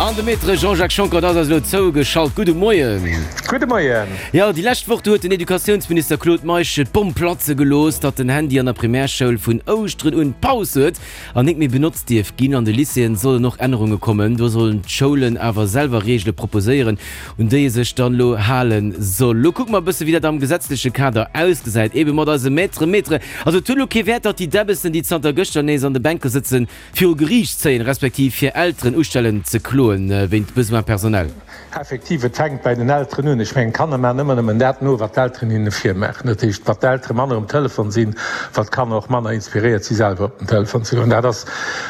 An de Maître Jean-Jacques Schonckert ass eis elo zougeschalt. Gudde Moien. Gudde Moien. Jo, déi lescht Woch, do huet den Educatiounsminister Claude Meisch d'Bomm platze gelooss, datt den Handy an der Primärschoul vun Ouschteren un Paus huet an nik méi benotzt dierf ginn. An de Lycéeën sollen och Ännerunge kommen. Do sollen d'Schoulen awer selwer Reegele proposéieren, un déi ee sech dann elo hale soll. Lo kucke mer e bësse wéi dat am gesetzleche Kader ausgesäit, ebe mat eise Maître. Maître, also et huet elo kee Wäert, datt déi Däbbessen, déi zanter gëschter nees an de Bänke sëtzen, viru Geriicht zéien, respektiv hir Elteren ustellen ze kloen wéint Besoins personnels. Effektiv, et fänkt bäi den Elteren un. Ech mengen, d'Kanner maachen ëmmer nëmmen dat no, wat d'Elteren hinne virmaachen. Dat heescht, wat d'Eltere manner um Telefon sinn, wat d'Kanner och manner inspiréiert si selwer op den Telefon ze goen. Dat ass,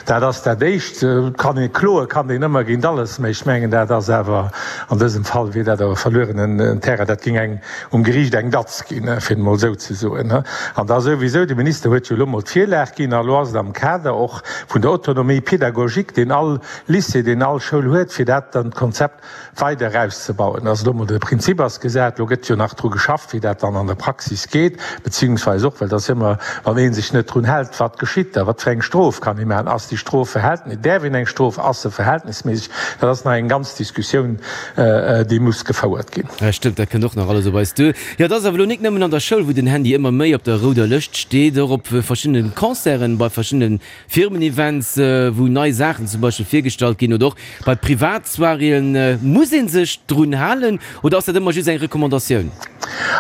dat ass dat Éischt. Et kann ee kloe kann een ëmmer géint alles, mä ech mengen, dat ass awer an dësem Fall wier dat awer verluerenen Terrain. Dat géing eng um Geriicht eng Datz ginn, fir et emol esou ze soen. An da souwisou, de Minister huet jo elo emol d'Virlag ginn, a elo ass et am Kader och vun der Autonomie pédagogique, deen all Lycée, deen all Schoul huet, fir dat dann d'Konzept weider erauszebauen. Also elo emol de Prinzip ass gesat, elo gëtt jo nach dru geschafft, wéi dat dann an der Praxis geet, beziehungsweise och, well et ass jo ëmmer, wann ee sech net drun hält, wat geschitt da, wat fir eng Strof kann ee maachen, ass déi Strof verhältnis, däerf een eng Strof, ass se verhältnisméisseg, dat ass nach eng ganz Diskussioun, déi muss gefouert ginn. Ja stëmmt, dat kënnt och nach alles op eis duer. Jo, et ass awer elo nik nëmmen an der Schoul, wou den Handy ëmmer méi op der rouder Lëscht steet. Och op verschiddene Concerten, bei verschiddene Firmen-Events, wou nei Saachen zum Beispill virgestallt ginn oder och bei Privatsoiréeën. Muss ee sech drun halen oder ass dat ëmmer just eng Recommandatioun?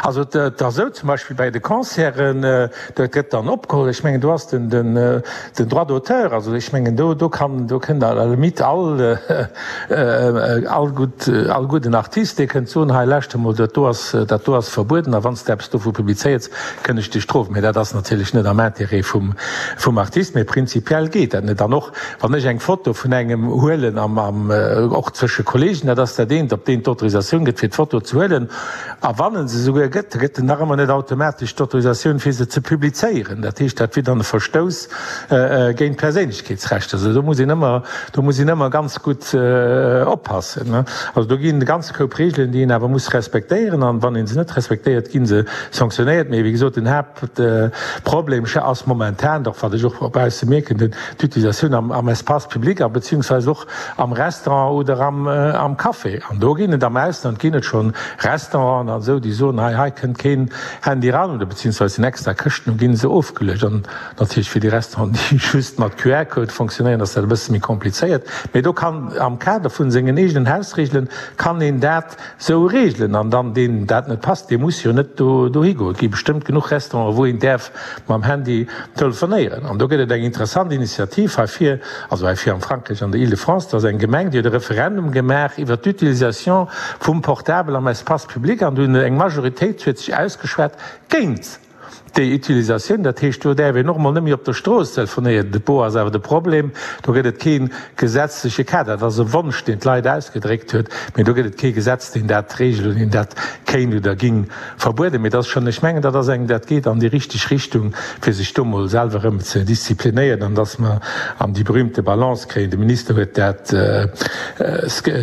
Also et ass esou, zum Beispill bei de Concerten, Dat gëtt dann opgeholl. Ech mengen, do ass den, den, den Droit d'auteur. Also ech mengen, do, do kann, do kënnt à la limite all, all gutt, all gudden Artist, dee kënnt soen, hei lauschter mol, dat do ass, dat do ass verbueden a wann s de eppes dovu publizéiers, kënn ech dech strofen. Mee dat ass natierlech net am Intérêt vum, vum Artist. Mee prinzipiell geet dat net. An och wann ech eng Foto vun engem huelen am, am, och zwësche Kollegen, dat ass dat eent, ob deen d'Autorisatioun gëtt fir d'Foto ze huelen, A wann en se souguer gëtt, da gëtt en nach ëmmer net automatesch d'Autorisatioun, fir se ze publizéieren. Dat heescht, dat wier dann e Verstouss géint d'Perséinlechkeetsrechter. Also do muss een ëmmer, do muss een ëmmer ganz gutt oppassen. Also do ginn e ganze Koup Regeln, déi een awer muss respektéieren. An wann ee se net respektéiert, gi se sanktionéiert. Mee wéi gesot, den Haaptproblem ass momentan doch, wat ech och bausse mierken, d'Utilisatioun am Espace public a beziehungsweise och Am Restaurant oder am Café. An do ginn et am Ausland ginn et schonn Restauranten an esou, déi soen, hei, hei kënnt keen Handy eran oder beziehungsweise sinn extra Këschten, do ginn se ofgeluecht. An natierlech fir déi Restauranten, déi just mat QR-Code fonctionnéieren, ass dat e bësse méi komplizéiert. Mee do kann am Kader vun sengen eegenen Hausregelen kann een dat esou regelen. An dann deen dat net passt, dee muss jo net do dohi goen. Et gi bestëmmt genuch Restauranten, wou een däerf mam Handy telefonéieren. An do gëtt et eng interessant Initiativ hei vir, also hei vir am Frankräich an der Île-de-France, do ass eng Gemeng, déi huet e Referendum gemaach iwwert d'Utilisation vum Portabel am Espace public an do hunn eng Majoritéit huet sech ausgeschwat géint déi Utilisatioun. Dat heescht, do däerf een och emol net méi op der Strooss telefonéieren. Do ass awer de Problem, do gëtt et kee gesetzleche Kader. Dat ass e Wonsch, deen d'Leit ausgedréckt huet, mee do gëtt et kee Gesetz, deen dat regelt oder deen dat kéint oder ging Verbueden, mee dat ass schonn, ech mengen, dat ass eng, dat geet an déi richteg Richtung, fir sech do mol selwer erëm ze disziplinéieren an dass mer an déi berühmte Balance kréien. De Minister huet dat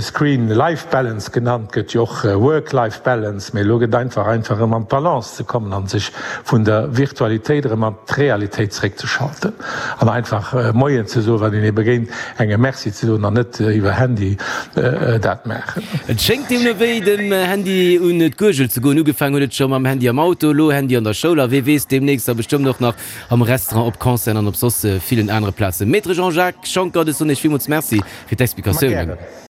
Screen-Life-Balance genannt, gëtt jo och Work-Life-Balance, mee elo gëtt einfach einfach erëm an d'Balance ze kommen an sech vun der Virtualitéit erëm an d'Realitéit zeréckzeschalten an einfach Moien ze soen, wann een ee begéint, engem Merci ze soen an net iwwer Handy dat maachen. Et schéngt deemno wéi dem Handy un d'Guergel ze goen. Ugefaang huet et scho mam Handy am Auto, elo Handy an der Schoul a wee weess, deemnächst da bestëmmt och nach am Restaurant, op Concerten an op soss villen anere Plazen. Maître Jean-Jacques Schonckert, ech soen Iech villmools Merci fir d'Explikatiounen.